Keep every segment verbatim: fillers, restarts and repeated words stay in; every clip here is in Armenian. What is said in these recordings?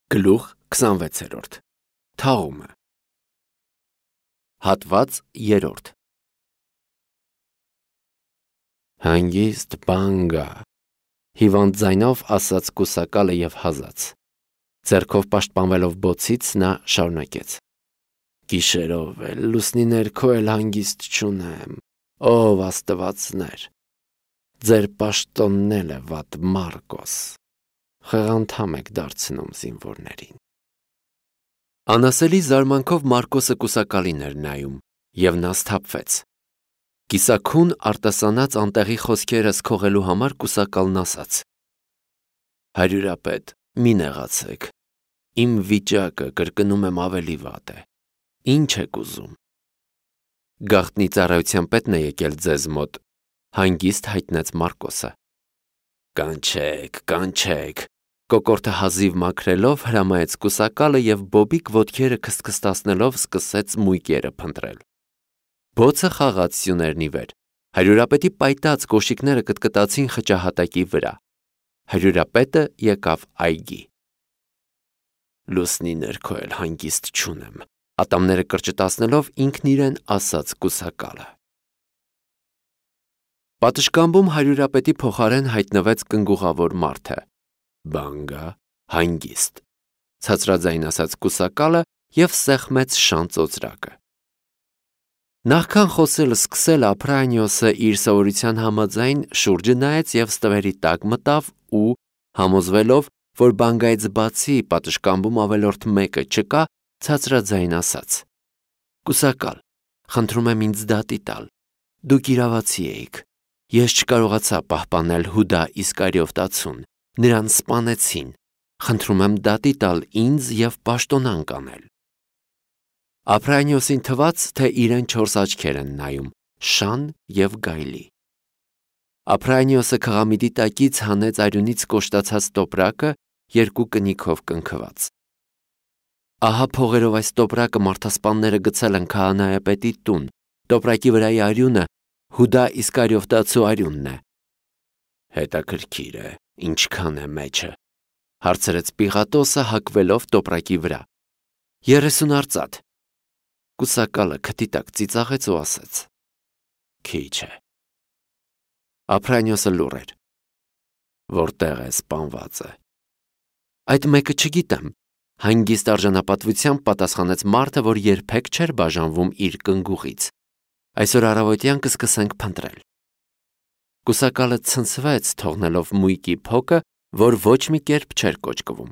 Գլուխ քսանվեցերորդ Թաղումը Հատված երրորդ Հանգիստ բան գա, հիվանդ ձայնով ասաց կուսակալը և հազաց, ձեռքով պաշտպանվելով բոցից նա շարունակեց. Գիշերով էլ, լուսնի ներքո էլ հանգիստ չունեմ, ով աստվածներ, ձեր պաշտոնն է վատ Մարկոս, խեղանդամ եք դարձնում զինվորներին։ Անասելի զարմանքով Մարկոսը կուսակալին էր նայում, և նա սթափվեց։ Կիսաքուն արտասանած անտեղի խոսքերս քողելու համար կուսակալն ասաց. Հարյուրապետ, մի նեղացեք, իմ վիճակը կրկնում եմ ավելի վատ է, ինչ եք ուզում։ Գաղտնի ծառայության պետն է եկել ձեզ մոտ, հանգիստ հայտնեց Մարկոսը։ Կանչեք, կանչեք, կոկորդը հազիվ մաքրելով հրամայեց կուսակալը և բոբիկ ոտքերը քստքստացնելով սկսեց մույկերը փնտրել։ Բոցը խաղաց սյուներն ի վեր, հարյուրապետի պայտած կոշիկները կտկտացին խճահատակի վրա, հարյուրապետը եկավ այգի։ Լուսնի ներքո էլ հանգիստ չունեմ, ատամները կրճտացնելով ինքն իրեն ասաց կուսակալը։ Պատշգամբում հարյուրապետի փոխարեն հայտնվեց կնգուղավոր մարդը։ Բան գա, հանգիստ, ցածրաձայն ասաց կուսակալը և սեղմեց շան ծոծրակը։ Նախքան խոսելը սկսել Ափրանիոսը իր սովորության համաձայն շուրջը նայեց և ստվերի տակ մտավ ու, համոզվելով, որ բանգայից բացի պատշգամբում ավելորդ մեկը չկա, ցածրաձայն ասաց. Կուսակալ, խնդրում եմ ինձ դատի տալ, դուք իրավացի էիք, ես չկարողացա պահպանել Հուդա Իսկարիովտացուն, նրան սպանեցին, խնդրում եմ դատի տալ ինձ և պաշտոնանկ անել։ Ափրանիոսին թվաց, թե իրեն չորս աչքեր են նայում, շան և գայլի։ Ափրանիոսը քղամիտի տակից հանեց արյունից կոշտացած տոպրակը երկու կնիքով կնքված։ Ահա փողերով այս տոպրակը մարդասպանները գցել են քահանայապետի տուն, տոպրակի վրայի արյունը Հուդա Իսկարիովտացու արյունն է։ Հետաքրքիր է, ինչքան է մեջը, հարցրեց Պիղատոսը հագվելով տոպրակի վրա։ Երեսուն արծաթ։ Կուսակալը քթի տակ ծիծաղեց ու ասաց. Քիչ է։ Ափրանիոսը լուռ էր։ Որտեղ է սպանվածը։ Այդ մեկը չգիտեմ, հանգիստ արժանապատվությամբ պատասխանեց մարդը, որ երբեք չէր բաժանվում իր կնգուղից։ Այսօր առավոտյան կսկսենք փնտրել։ Կուսակալը ցնցվեց, թողնելով մույկի փոկը, որ ոչ մի կերպ չէր կոճկվում։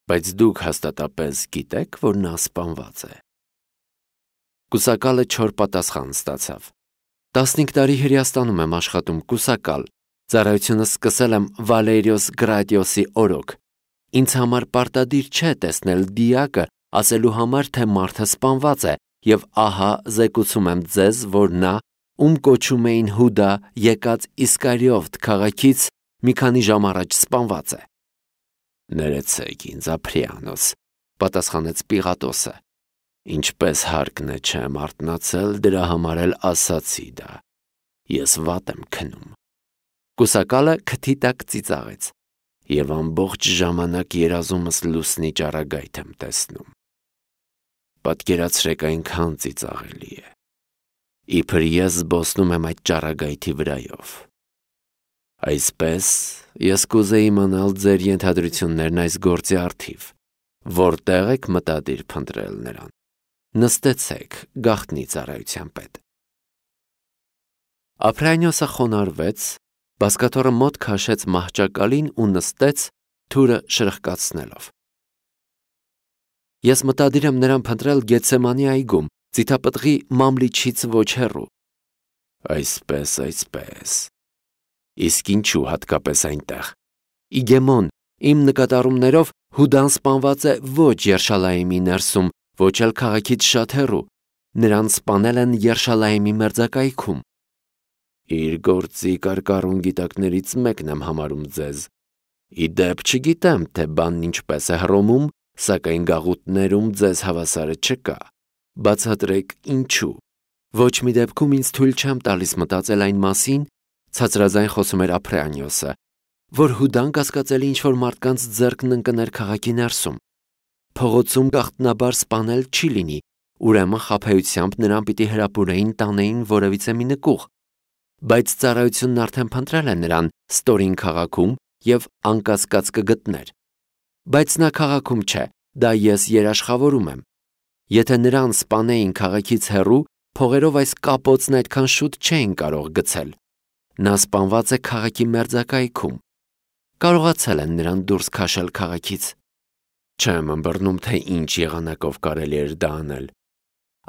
Բայց դուք հաստատապես գիտեք, որ նա սպանված է։ Կուսակալը չոր պատասխան ստացավ։ Տասնհինգ տարի Հրեաստանում եմ աշխատում, կուսակալ, ծառայությունս սկսել եմ Վալերիոս Գրադիոսի օրոք։ Ինձ համար պարտադիր չէ տեսնել դիակը, ասելու համար, թե մարդը սպանված է, և ահա զեկուցում եմ ձեզ, որ նա, ում կոչում էին Հուդա, եկած Իսկարիովտ քաղաքից մի քանի ժամ առաջ սպանված է։ Ներեցեք ինձ, Ափրիանոս, պատասխանեց Պիղատոսը։ Ինչպես հարկն է չեմ արթնացել, դրա համար էլ ասացի դա։ Ես վատ եմ քնում։ Կուսակալը քթի տակ ծիծաղեց, և ամբողջ ժամանակ երազումս լուսնի ճառագայթ եմ տեսնում։ Պատկերացրեք, այնքան ծիծաղելի է։ Իբր ես զբոսնում եմ այդ ճառագայթի վրայով։ Այսպես, ես կուզեի իմանալ ձեր ենթադրություններն այս գործի առթիվ, որտեղ եք մտադիր փնտրել նրան։ Նստեցեք, գաղտնի ծառայության պետ։ Ափրանիոսը խոնարհվեց, բազկաթոռը մոտ քաշեց մահճակալին ու նստեց, թուրը շրխկացնելով։ Ես մտադիր եմ նրան փնտրել Գեթսեմանի այգում, Ծիթապտղի Մամլիչից ոչ հեռու։ Այսպես, այսպես։ Իսկ ինչու հատկապես այնտեղ։ Իգեմոն, իմ նկատառումներով Հուդան սպանված է ոչ Երշալայեմի ներսում, ոչ էլ քաղաքից շատ հեռու։ Նրան սպանել են Երշալայեմի մերձակայքում։ Իր գործի կարկառուն գիտակներից մեկն եմ համարում ձեզ։ Ի դեպ չգիտեմ, թե բանն ինչպես է Հռոմում, սակայն գաղութներում ձեզ հավասարը չկա։ Բացատրեք ինչու։ Ոչ մի դեպքում ինձ թույլ չեմ տալիս մտածել այն մասին, ցածրաձայն խոսում էր Ափրանիոսը, որ Հուդան կասկածելի ինչ-որ մարդկանց ձեռքն ընկներ քաղաքի ներսում։ Փողոցում գաղտնաբար սպանել չի լինի, ուրեմն խաբեությամբ նրան պիտի հրապուրեին, տանեին որևիցե մի նկուղ։ Բայց ծառայությունն արդեն փնտրել է նրան ստորին քաղաքում և անկասկած կգտներ։ Բայց նա քաղաքում չէ, դա ես երաշխավորում եմ։ Եթե նրան սպանեին քաղաքից հեռու, փողերով այս կապոցն այդքան շուտ չէին կարող գցել։ Նա սպանված է քաղաքի մերձակայքում։ Կարողացել են նրան դուրս քաշել քաղաքից։ Չեմ ըմբռնում, թե ինչ եղանակով կարելի էր դա անել։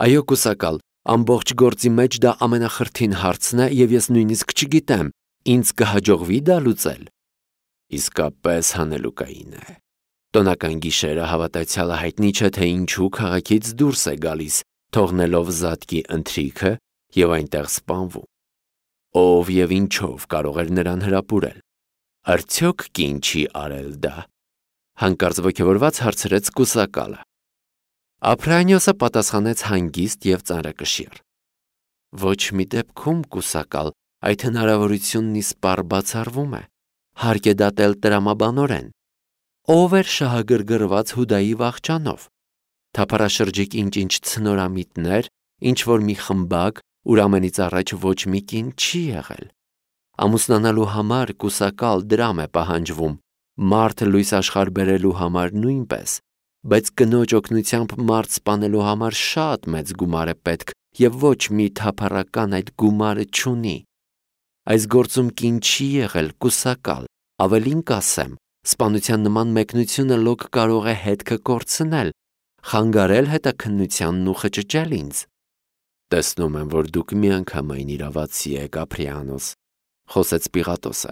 Այո, կուսակալ, ամբողջ գործի մեջ դա ամենախրթին հարցն է, և ես նույնիսկ չգիտեմ, ինձ կհաջողվի դա լուծել։ Իսկապես հանելուկային է։ Տոնական գիշերը հավատացյալը հայտնի չէ, թե ինչու քաղաքից դուրս է գալիս, թողնելով զատկի ընթրիքը և այնտեղ սպանվում։ Ով և ինչով կարող էր նրան հրապուրել։ Արդյոք կին չի արել դա։ Հանկարծ ոգևորված հարցրեց կուսակալը։ Ափրանիոսը պատասխանեց հանգիստ և ծանրակշիռ. Ոչ մի դեպքում, կուսակալ, այդ հնարավորությունն իսպառ բացառվում է։ Հարկ է դատել տրամաբանորեն։ Ով էր շահագրգռված Հուդայի վախճանով։ Թափառաշրջիկ ինչ-ինչ ցնորամիտներ, ինչ-որ մի խմբակ, ուր ամենից առաջ ոչ մի կին չի եղել։ Ամուսնանալու համար կուսակալ դրամ է պահանջվում, մարդ լույս աշխարհ բերելու համար նույնպես, բայց կնոջ օգնությամբ մարդ սպանելու համար շատ մեծ գումար է պետք, և ոչ մի թափառական այդ գումարը չունի։ Այս գործում կին չի եղել, կուսակալ, ավելին կասեմ, սպանության նման մեկնությունը լոկ կարող է հետքը կորցնել, խանգարել հետաքննությանն ու խճճել ինձ։ Տեսնում եմ, որ դուք միանգամայն իրավացի եք, Ափրիանոս, խոսեց Պիղատոսը,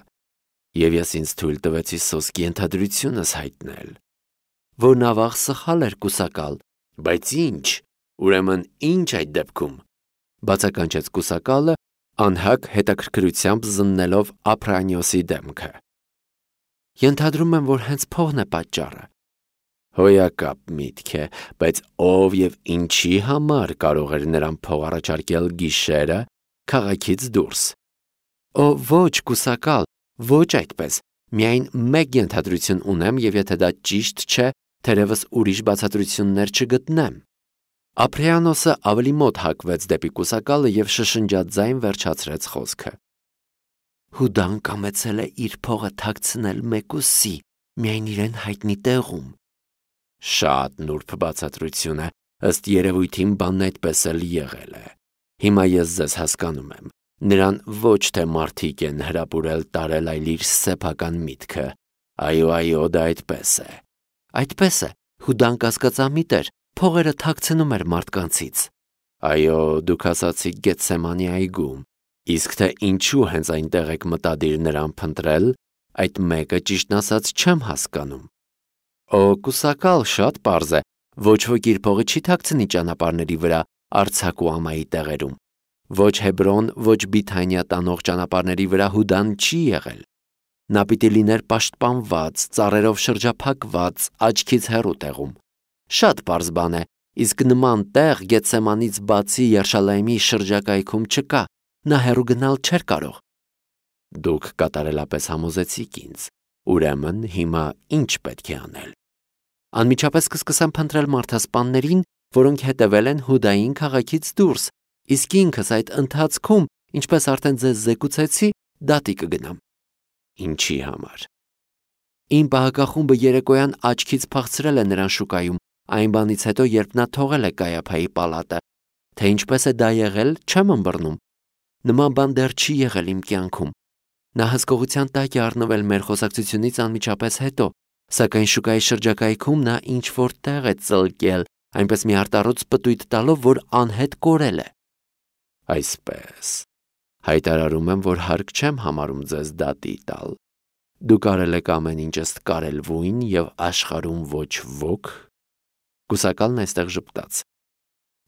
և ես ինձ թույլ տվեցի սոսկի ենթադրությունս հայտնել։ Որ նավաղ սխալ էր, կուսակալ, բայց ինչ, ուրեմն ինչ այդ դեպքում, բացականչեց կուսակալը, անհակ հետաքրքրությամբ զննելով Ափրանիոսի դեմքը։ Ենթադրում եմ, որ հենց փողն է պատճառը։ Հոյակապ միտք է, բայց ով և ինչի համար կարող էր նրան փող առաջարկել գիշերը քաղաքից դուրս։ Օ, ոչ, կուսակալ, ոչ այդպես, միայն մեկ ենթադրություն ունեմ, և եթե դա ճիշտ չէ, թերևս ուրիշ բացատրություններ չգտնեմ։ Ափրիանոսը ավելի մոտ հակվեց դեպի կուսակալը և շշնջաց ձայն վերջացրեց խոսքը։ Հուդան կամեցել է իր փողը թաքցնել մեկուսի, միայն իրեն հայտնի տեղում։ Շատ նուրբ բացատրություն է, ըստ երևույթին բանն այդպես էլ եղել է։ Հիմա ես ձեզ հասկանում եմ։ Նրան ոչ թե մարդիկ են հրապուրել տարել, այլ իր սեփական միտքը։ Այո, այո, դա այդպես է։ Այդպես է, Հուդան կասկածամիտ էր, փողերը թաքցնում էր մարդկանցից։ Այո, դուք ասացիք Գեթսեմանի այգում, իսկ թե ինչու հենց այնտեղ եք մտադիր նրան փնտրել, այդ մեկը ճիշտն ասած չեմ հասկանում։ Օ, կուսակալ, շատ պարզ է, ոչ ոք իր փողը չի թաքցնի ճանապարհների վրա, արձակ ու ամայի տեղերում։ Ոչ Հեբրոն, ոչ Բիթանիա տանող ճանապարհների վրա Հուդան չի եղել։ Նա պիտի լիներ պաշտպանված, ծառերով շրջափակված, աչքից հեռու տեղում։ Շատ պարզ բան է, իսկ նման տեղ Գեթսեմանից բացի Երշալայմի շրջակայքում չկա, նա հեռու գնալ չէր կարող։ Դուք կատարելապես համոզեցիք ինձ, ուրեմն հիմա ինչ պետք է անել։ Անմիջապես կսկսեմ փնտրել մարդասպաններին, որոնք հետևել են Հուդային քաղաքից դուրս, իսկ ինքս այդ ընթացքում, ինչպես արդեն ձեզ զեկուցեցի, դատի կգնամ։ Ինչի համար։ Իմ պահակախումբը երեկոյան աչքից փախցրել է նրան շուկայում, այն բանից հետո, երբ նա թողել է Կայափայի պալատը, թե ինչպես է դա եղել, չեմ ըմբռնում։ Նման բան դեռ չի եղել իմ կյանքում։ Նա հսկողության տակ է առնվել մեր խոսակցությունից անմիջապես հետո, սակայն շուկայի շրջակայքում նա ինչ-որ տեղ է ծլկել, այնպես մի արտառոց պտույտ տալով, որ անհետ կորել է։ Այսպես, հայտարարում եմ, որ հարկ չեմ համարում ձեզ դատի տալ։ Դուք արել եք ամեն ինչ ըստ կարելվույն և աշխարհում ոչ ոք։ Կուսակալն այստեղ ժպտաց։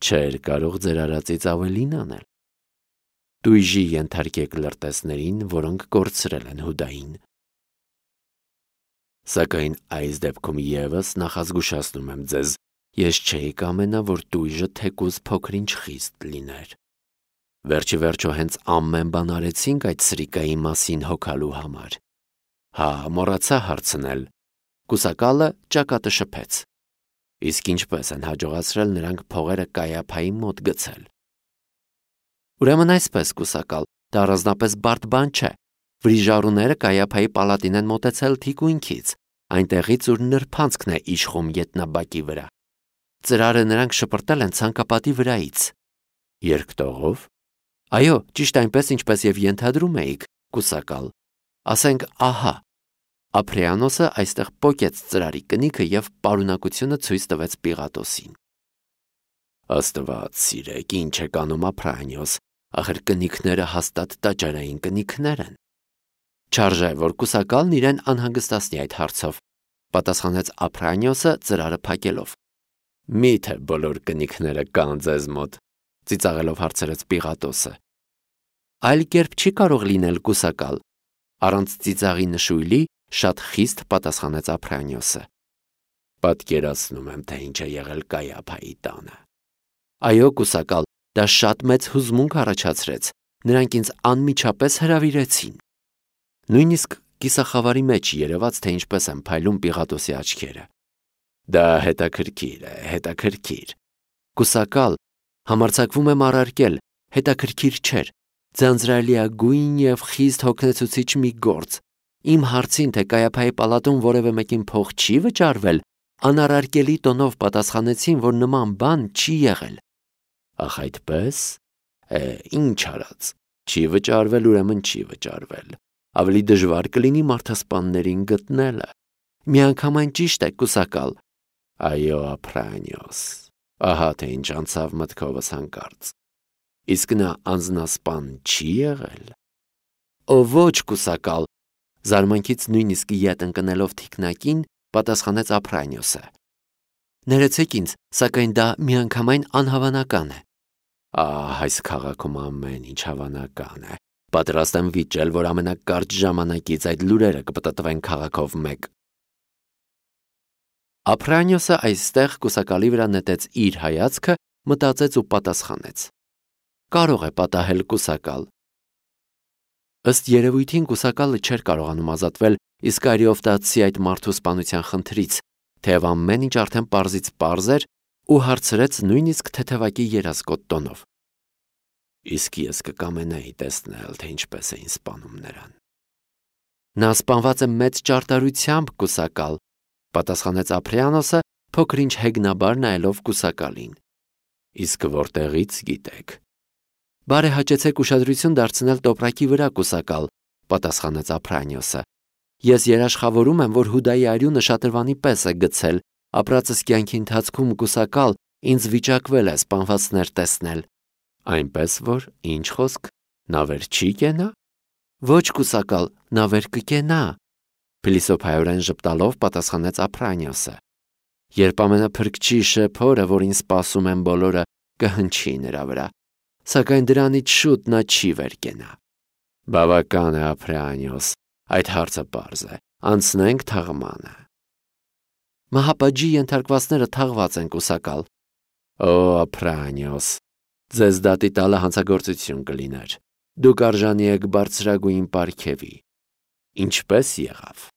Չէր կարող ձեր արածից ավելին անել։ Տույժի ենթարկեք լրտեսներին, որոնք կորցրել են Հուդային։ Սակայն այս դեպքում ևս նախազգուշացնում եմ ձեզ, ես չէի կամենա, որ տույժը թեկուզ փոքր-ինչ խիստ լիներ։ Վերջիվերջո հենց ամեն բան արեցինք այդ սրիկայի մասին հոգալու համար։ Հա, մոռացա հարցնել։ Կուսակալը ճակատը շփեց։ Իսկ ինչպես են հաջողացրել նրանք փողերը Կայափայի մոտ գցել։ Ուրեմն այսպես, կուսակալ, դա առանձնապես բարդ բան չէ։ Վրիժառուները Կայափայի պալատին են մոտեցել թիկունքից, այնտեղից ուր նրբանցքն է իշխում ետնաբակի վրա։ Ծրարը նրանք շպրտել են ցանկապատի վրայից։ Երկտողով։ Այո, ճիշտ այնպես, ինչպես եւ ենթադրում էիք, կուսակալ։ Ասենք, ահա, Ապրեանոսը այստեղ պոկեց ծրարի կնիքը եւ պարունակությունը ցույց տվեց Պիղատոսին։ Աստված սիրեք, ինչ է կանում Ապրանիոս, ախր կնիքները հաստատ տաճարային կնիքներ են։ Չարժե, որ կուսակալն իրեն անհանգստացնի այդ հարցով, պատասխանեց Ապրանիոսը ծրարը փակելով։ Միթե բոլոր կնիքները կան ձեզ մոտ, ծիծաղելով հարցրեց Պիղատոսը։ Այլ կերպ չի կարող լինել, կուսակալ, առանց ծիծաղի նշույլի շատ խիստ պատասխանեց Ապրանիոսը։ Պատկերացնում եմ, թե ինչ է եղել Կայափայի տանը։ Այո, կուսակալ, դա շատ մեծ հուզմունք առաջացրեց, նրանք ինձ անմիջապես հրավիրեցին։ Նույնիսկ կիսախավարի մեջ երևաց, թե ինչպես են փայլում Պիղատոսի աչքերը։ Դա հետաքրքիր է, հետաքրքիր։ Կուսակալ, համարձակվում եմ առարկել, հետաքրքիր չէր, ձանձրալիագույն եւ խիստ հոգնեցուցիչ մի գործ։ Իմ հարցին, թե Կայափայի պալատում որևէ մեկին փող չի վճարվել, անառարկելի տոնով պատասխանեցին, որ նման բան չի եղել։ Ախ այդպես։ Է, ինչ արած։ Չի վճարվել, ուրեմն չի վճարվել։ Ավելի դժվար կլինի մարդասպաններին գտնելը։ Միանգամայն ճիշտ է, կուսակալ։ Այո, Ապրանիոս։ Ահա թե ինչ անցավ մտքովս հանկարծ։ Իսկ նա անձնասպան չի եղել։ Ո ոչ, կուսակալ, զարմանքից նույնիսկ ետ ընկնելով թիկնակին, պատասխանեց Ապրանիոսը։ Ներեցեք ինձ, սակայն դա միանգամայն անհավանական է։ Ահ, այս քաղաքում ամեն ինչ հավանական է։ Պատրաստ եմ վիճել, որ ամենակարճ ժամանակից այդ լուրերը կպտտվեն քաղաքով մեկ։ Ապրանիոսը այստեղ կուսակալի վրա նետեց իր հայացքը, մտածեց ու պատասխանեց. Կարող է պատահել, կուսակալ։ Ըստ երևույթին կուսակալը չէր կարողանում ազատվել Իսկարիովտացի այդ մարդու սպանության խնդրից, թեև ամեն ինչ արդեն պարզից պարզ էր ու հարցրեց նույնիսկ թեթևակի երազկոտ տոնով։ Իսկ ես կկամենայի տեսնել, թե ինչպես էին սպանում նրան։ Նա սպանված է մեծ ճարտարությամբ, կուսակալ, պատասխանեց Ապրեանոսը, փոքր-ինչ հեգնաբար նայելով կուսակալին։ Իսկ որտեղից գիտեք։ Բարեհաճեցեք ուշադրություն դարձնել տոպրակի վրա, կուսակալ, պատասխանեց Ապրանիոսը։ Ես երաշխավորում եմ, որ Հուդայի արյունը շատրվանի պես է գցել, ապրածս կյանքի ընթացքում կուսակալ ինձ վիճակվել է սպանվածներ տեսնել։ Այնպես որ, ինչ խոսք, նա վեր չի կենա։ Ոչ, կուսակալ, նա վեր կկենա, փիլիսոփայորեն ժպտալով պատասխանեց Ապրանիոսը։ Երբ ամենափրկչի շեփորը, որին սպասում են բոլորը, կհնչի նրա վրա, սակայն դրանից շուտ նա չի վեր կենա։ Բավական է, Ապրանիոս, այդ հարցը պարզ է, անցնենք թաղմանը։ Մահապատժի ենթարկվածները թաղված են, կուսակալ։ Օ, Ապրանիոս, ձեզ դատի տալը հանցագործություն կլիներ։ Դուք արժանի եք բարձրագույն պարգևի։ Ինչպես եղավ։